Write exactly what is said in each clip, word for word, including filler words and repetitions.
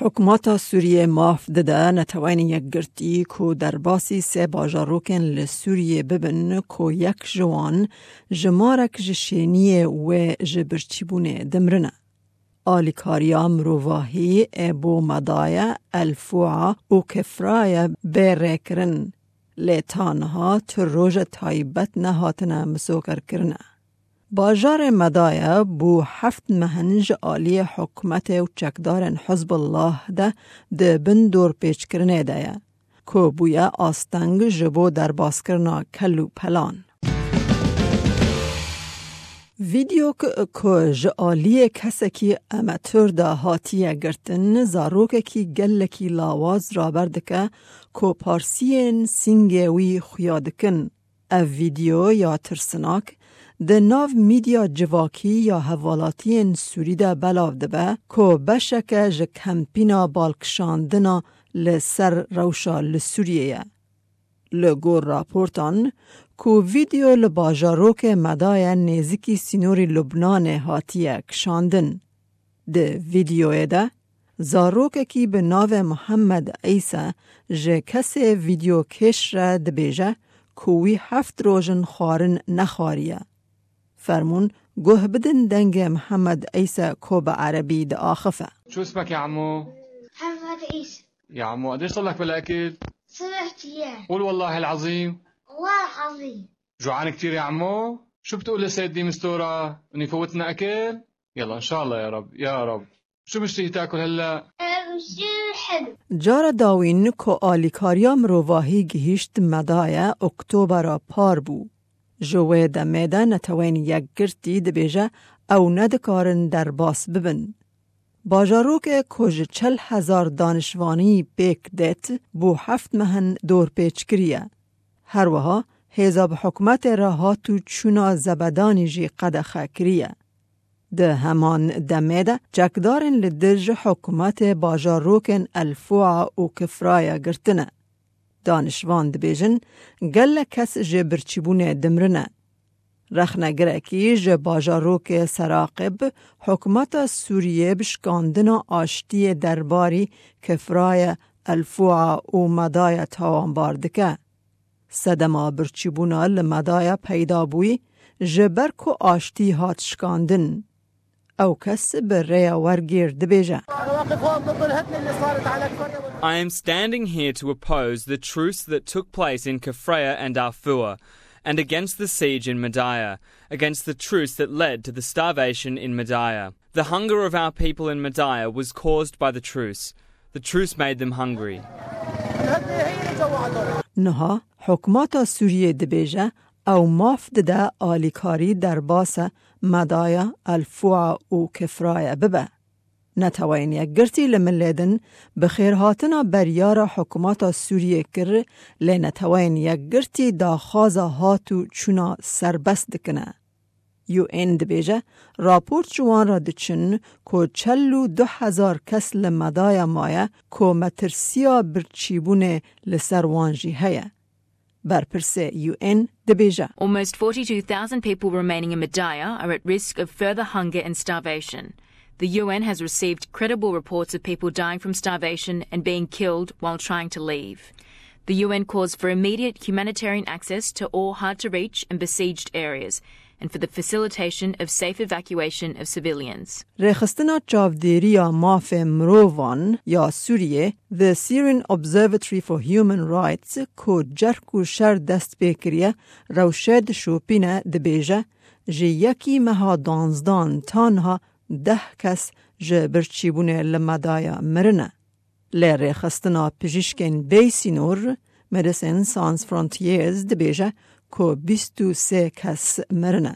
Hikûmeta Sûriyê maf dide Neteweyên Yekgirtî ku derbasî sê bajarokên li Sûriyê bibin ku yek ji wan jimarek ji şêniyê wê ji birçîbûnê dimrine. Alîkariya mirovahî ê bo Medaye, El Fua û Kifraye bê rêkirin, lê ta niha tu roje taybet nehatine misogerkirine. Bajarê Medaye bû heft meh in ji aliyê hikûmetê û çekdarên Hizbullah de di bin dorpêçkirinê de ye, ku bûye asteng ji bo derbaskirina kel û pelan. Vîdeok ku ji aliyê kesekî amatör de hatiye girtin, zarokekî gelekî lawaz raber dike ku parsiyên sîngê wî xuya dikin. Ev vîdeo ya tirsinak di nav medya civakî ya hevwelatiyên Sûrî de belav dibe ku beşeke ji kempîna balkişandina li ser rewşa li Sûriyê ye. Li gor raportan ku vîdeo li bajarokê Medaye nêzîkî sînorî Lubnanê hatiye kişandin. Di vîdeoyê de zarokekî bi navê Muhammed Îsa ji kesê vîdeokêş re dibêje ku wî heft roj in xwarin nexwariye. Fermûn guh bidin dengê Muhammed Îsa ku bi erebî diaxife. شو اسمك يا عمو؟ محمد عيسى. يا عمو، قديش صار لك بلا أكل؟ ثلاث أيام. قول والله العظيم. والله العظيم. جوعان كتير يا عمو؟ شو بتقول لسيد دي مستورة؟ إنه يفوتنا أكل؟ يلا، إن شاء الله يا رب، يا رب. شو مشتهي تاكل هلأ؟ أه، بصير حلو. Cara dawîn ku alîkariya mirovahî gihîşt Medaye, Oktobera par bû. Ji wê demê de Neteweyên Yekgirtî dibêje ew nedikarin derbas bibin. Bajarokê ku ji çel hezar danişvanî pêk dêt, bû heft meh in dorpêç kiriye. Her wiha hêza bi hikûmetê re hat û çûna zebedanî jî qedexe kiriye. Di heman demê de çekdarên li dij hikûmetê bajarokên El Fua û Kifraya girtine. Danişvan dibêjin, gelek kes ji birçîbûnê dimrine. Rexnegirekî ji bajarokê Seraqib hikûmeta Sûriyê bi şikandina aştiyê derbarî Kifraya, El Fua û Medaya tawanbar dike. Sedema birçîbûna li Medaya peyda bûyî, ji ber ku aştî hat şikandin. Ew kes bi rêya wergêr dibêje. I am standing here to oppose the truce that took place in Kafraya and Afua, and against the siege in Medaya, against the truce that led to the starvation in Medaya. The hunger of our people in Medaya was caused by the truce. The truce made them hungry. Niha hikûmeta Sûriyê dibêje ew maf dide alîkarî derbasa Medaya, El Fua û Kifraya bibe. Neteweyên Yekgirtî li milê din bi xêrhatina beryara hikûmeta Sûriyê kir, lê Neteweyên Yekgirtî daxwaza hat û çûna serbest dikine. U N dibêje, raport ji wan re diçin ku çel û du hezar kes li Medaya maye ku metirsiya birçîbûnê li ser wan jî heye. Berpirsê U N dibêje. Almost forty-two thousand people remaining in Madaya are at risk of further hunger and starvation. The U N has received credible reports of people dying from starvation and being killed while trying to leave. The U N calls for immediate humanitarian access to all hard to reach and besieged areas and for the facilitation of safe evacuation of civilians. Rêxistina Çavdêriya Mafê Mirovan ya Sûriyê, The Syrian Observatory for Human Rights, ku cerk û şer dest pê kiriye, rewşê dişopîne, dibêje, ji yekî meha duwanzdan ta niha deh kes ji birçîbûnê li Medaya mirine. Lê rêxistina pijîşkên bê sînor, Médecins Sans Frontières, dibêje ku bîst û sê kes mirine.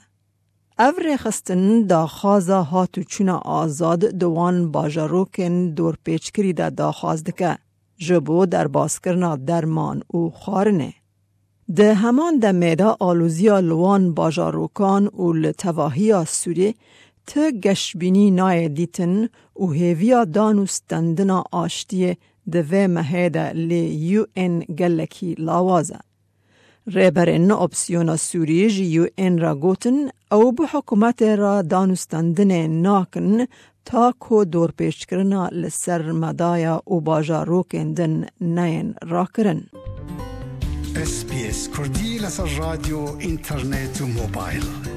Ev rêxistin daxwaza hat û çûna azad di wan bajarokên dorpêçkirî de daxwaz dike, ji bo derbaskirina derman û xwarinê. Di heman demê de alûziya li wan bajarokan û li tevahiya Sûriyê ti geşbînî nayê dîtin û hêviya dan û stendina aştiyê di vê mehê de lê U N gelekî lawaz e. Rêberên opsiyona Sûriyê ji U N re gotin, ew bi hikûmetê re danûstendinê nakin, ta ku dorpêçkirina li ser medaya û bajarokên din neyên rakirin. S B S Kurdî, لەسەر ڕادیۆ، ئینتەرنێت و مۆبایل.